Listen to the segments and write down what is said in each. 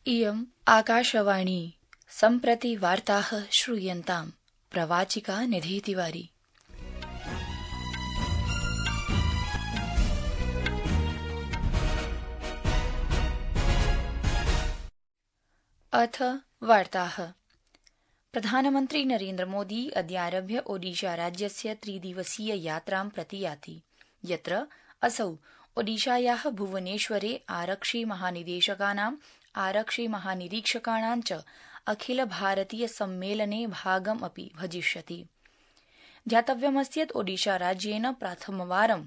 इयम् आकाशवाणी सम्प्रति वार्ताः श्रूयन्ताम् प्रवाचिका निधि तिवारी। अथ वार्ताः। प्रधानमन्त्री नरेन्द्र मोदी अद्यारभ्य ओडिशा राज्यस्य त्रिदिवसीय यात्रां प्रति याति, यत्र असौ ओडिशायाः भुवनेश्वरे आरक्षि महानिदेशकानां आरक्षि महानिरीक्षकाणां च अखिल भारतीय सम्मेलने भागम् अपि भजिष्यति। ध्यातव्यमस्ति यत् ओडिशा राज्येन प्रथमवारं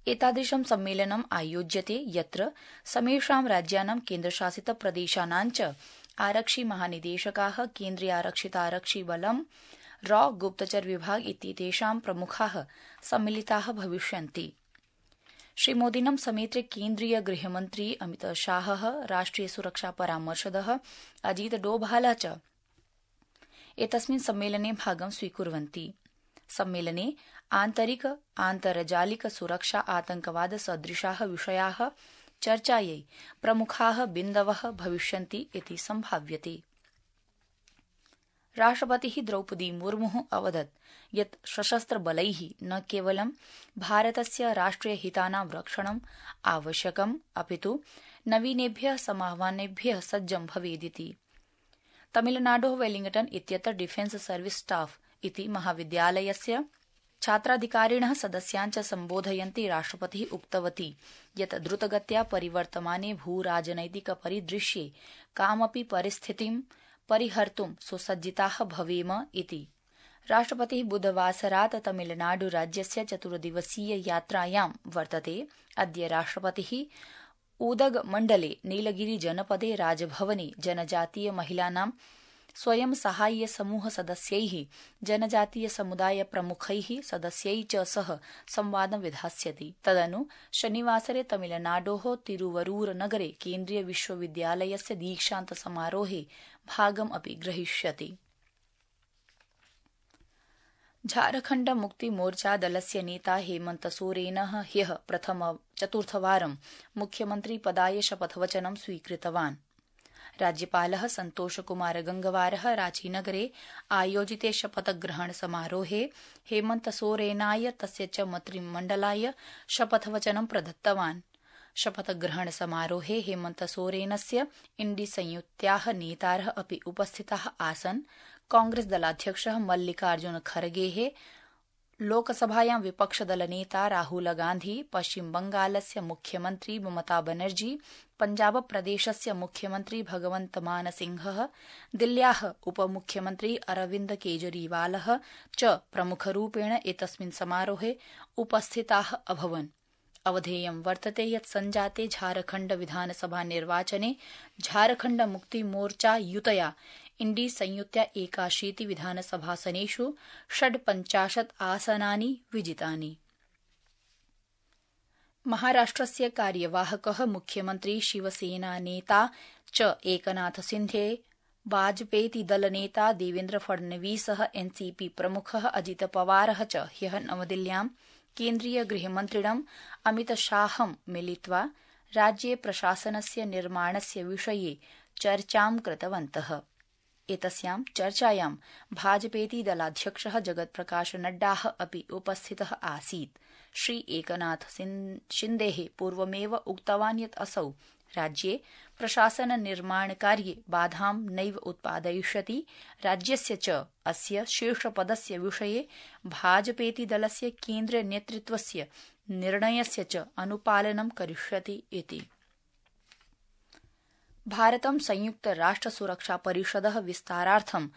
एतादृशं सम्मेलनम् आयोज्यते, यत्र समेषां राज्यानां केन्द्रशासित प्रदेशानां च आरक्षि महानिदेशकाः, केन्द्रीय आरक्षितारक्षिबलं, रॉ गुप्तचर विभाग इत्येतेषां प्रमुखाः सम्मिलिताः भविष्यन्ति। श्रीमोदिनं समेत्य केन्द्रीय गृहमन्त्री अमित शाहः, राष्ट्रिय सुरक्षा परामर्शदः अजीत डोभाल च एतस्मिन् सम्मेलने भागं स्वीकुर्वन्ति। सम्मेलने आन्तरिक आन्तर्जालिक सुरक्षा आतंकवाद सदृशाः विषयाः चर्चायै प्रमुखाः बिन्दवः भविष्यन्ति इति सम्भाव्यते। राष्ट्रपतिः द्रौपदी मुर्मुः अवदत् यत् सशस्त्रबलैः न केवलं भारतस्य राष्ट्रियहितानां रक्षणम् आवश्यकम्, अपितु नवीनेभ्यः समाह्वानेभ्यः सज्जं भवेदिति। तमिलनाडोः वेलिंगटन इत्यत्र डिफेन्स सर्विस स्टाफ इति महाविद्यालयस्य छात्राधिकारिणः सदस्यान् च सम्बोधयन्ती राष्ट्रपतिः उक्तवती यत् द्रुतगत्या परिवर्तमाने भूराजनैतिक परिदृश्ये कामपि परिस्थितिं परिहर्तुं सुसज्जिताः भवेम इति। राष्ट्रपतिः बुधवासरात् तमिलनाडु राज्यस्य 4 दिवसीय यात्रायां वर्तते। अद्य राष्ट्रपतिः उदगमण्डले नीलगिरि जनपदे राजभवने जनजातीय महिलानां स्वयं सहाय्य समूह सदस्यैः, जनजातीय समुदाय प्रमुखैः सदस्यैः च सह संवादं विधास्यति। तदनु शनिवासरे तमिलनाडोः तिरुवरूर नगरे केन्द्रीय विश्वविद्यालयस्य दीक्षान्त समारोहे भागम् अपि ग्रहीष्यति। झारखण्ड मुक्ति मोर्चा दलस्य नेता हेमन्त सोरेनः ह्यः चतुर्थवारं मुख्यमन्त्री पदाय शपथवचनं स्वीकृतवान्। राज्यपालः सन्तोष कुमार गंगवारः रांचीनगरे आयोजिते शपथग्रहण समारोहे हेमन्त सोरेनाय तस्य च मन्त्रिमण्डलाय शपथवचनं प्रदत्तवान्। शपथग्रहण समारोहे हेमन्त सोरेनस्य इण्डी संयुत्याः नेतारः अपि उपस्थिताः आसन्। कांग्रेस दलाध्यक्षः मल्लिकार्जुन खरगेः, लोकसभायां विपक्षदलनेता राहुल गांधी, पश्चिम बंगालस्य मुख्यमन्त्री ममता बनर्जी, पंजाब प्रदेशस्य मुख्यमन्त्री भगवन्त मान सिंहः, दिल्ल्याः उपमुख्यमन्त्री अरविन्द केजरीवालः च प्रमुखरूपेण एतस्मिन् समारोहे उपस्थिताः अभवन्। अवधेयं वर्तते यत् संजाते झारखण्ड विधानसभा निर्वाचने झारखण्ड मुक्ति मोर्चा युतया इण्डी संयुत्या 81 विधानसभासनेषु 56 आसनानि विजितानि। महाराष्ट्रस्य कार्यवाहकः मुख्यमन्त्री शिवसेनानेता च एकनाथ सिन्धे, वाजपेयी दलनेता देवेन्द्र फडणवीसः, एनसीपी प्रमुखः अजित पवारः च ह्यः नवदिल्ल्यां केन्द्रीय गृहमन्त्रिणम् अमित शाहं मिलित्वा राज्ये प्रशासनस्य निर्माणस्य विषये चर्चां कृतवन्तः। एतस्यां चर्चायां भाजपेति दलाध्यक्षः जगत्प्रकाश नड्डाः अपि उपस्थितः आसीत्। श्री एकनाथ शिन्देः पूर्वमेव उक्तवान् यत् असौ राज्ये प्रशासन निर्माणकार्ये बाधां नैव उत्पादयिष्यति। राज्यस्य च अस्य शीर्षपदस्य विषये भाजपेति दलस्य केन्द्रीय नेतृत्वस्य निर्णयस्य च अनुपालनं करिष्यति इति। भारतं संयुक्त राष्ट्र सुरक्षा परिषदः विस्तारार्थं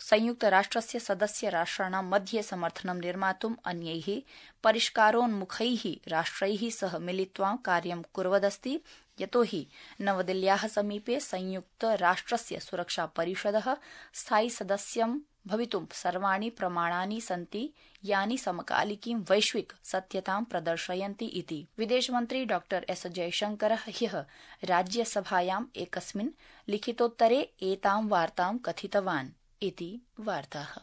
संयुक्तराष्ट्रस्य सदस्य राष्ट्राणां मध्ये समर्थनं निर्मातुम् अन्यैः परिष्कारोन्मुखैः राष्ट्रैः सह मिलित्वा कार्यं कुर्वदस्ति, यतोहि नवदिल्ल्याः समीपे संयुक्तराष्ट्रस्य सुरक्षा परिषदः स्थायि सदस्यं भवितुं सर्वाणि प्रमाणानि सन्ति, यानि समकालिकीं वैश्विक सत्यतां प्रदर्शयन्ति इति विदेशमन्त्री डॉ एस जयशंकरः ह्यः राज्यसभायाम् एकस्मिन् लिखितोत्तरे एतां वार्तां कथितवान् इति वार्ताः।